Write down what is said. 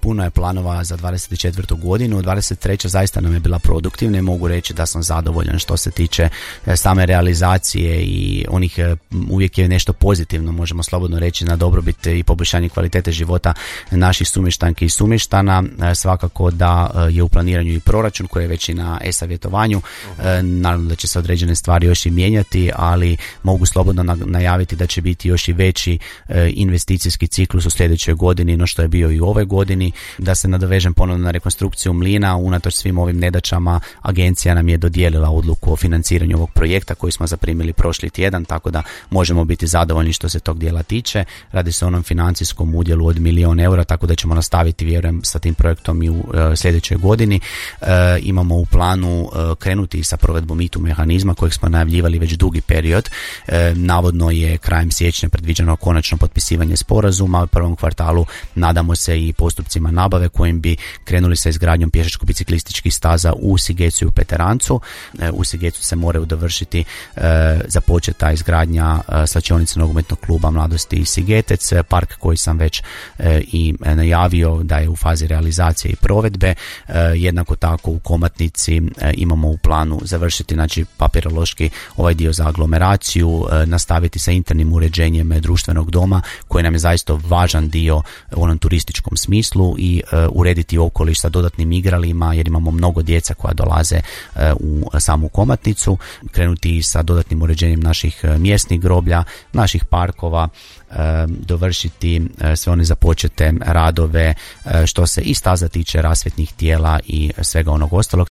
puno je planova za 24. godinu. 23. zaista nam je bila produktivna i mogu reći da sam zadovoljan što se tiče same realizacije i onih, uvijek je nešto pozitivno, možemo slobodno reći, na dobrobit i poboljšanje kvalitete života naših sumještanki i sumještana. Svakako da je u planiranju i proračun koji je već i na e-savjetovanju. Naravno da će se određene stvari još i mijenjati, ali mogu slobodno najaviti da će biti još i veći investicijski ciklus u sljedećoj godini no što je bio i u ovoj godini. Da se nadovežem ponovno na rekonstrukciju mlina, unatoč svim ovim nedaćama agencija nam je dodijelila odluku o financiranju ovog projekta koji smo zaprimili prošli tjedan, tako da možemo biti zadovoljni što se tog dijela tiče. Radi se o onom financijskom udjelu od 1 milijun eura, tako da ćemo nastaviti, vjerujem, sa tim projektom i u sljedećoj godini. Imamo u planu krenuti sa provedbom ITU mehanizma kojeg smo najavljivali već dugi period. Navodno je krajem siječnja predviđeno konačno potpisivanje sporazuma. U prvom kvartalu nadamo se i postupcima nabave kojim bi krenuli sa izgradnjom pješačko-biciklističkih staza u Sigecu i u Peterancu. U Sigecu se moraju dovršiti započeta izgradnja slačionice nogometnog kluba Mladosti i Sigetec, park koji sam već i najavio da je u fazi realizacije i provedbe. Jednako tako u Komatnici imamo u planu završiti, znači, papirološki ovaj dio za aglomeraciju, nastaviti sa internim uređenjem društvenog doma koji nam je zaista važan dio u onom turističkom smislu i urediti okoliš sa dodatnim igralima jer imamo mnogo djeca koja dolaze u samu Komatnicu, krenuti sa dodatnim uređenjem naših mjesnih groblja, naših parkova, dovršiti sve one započete radove što se i staza tiče, rasvjetnih tijela i svega onog ostalog.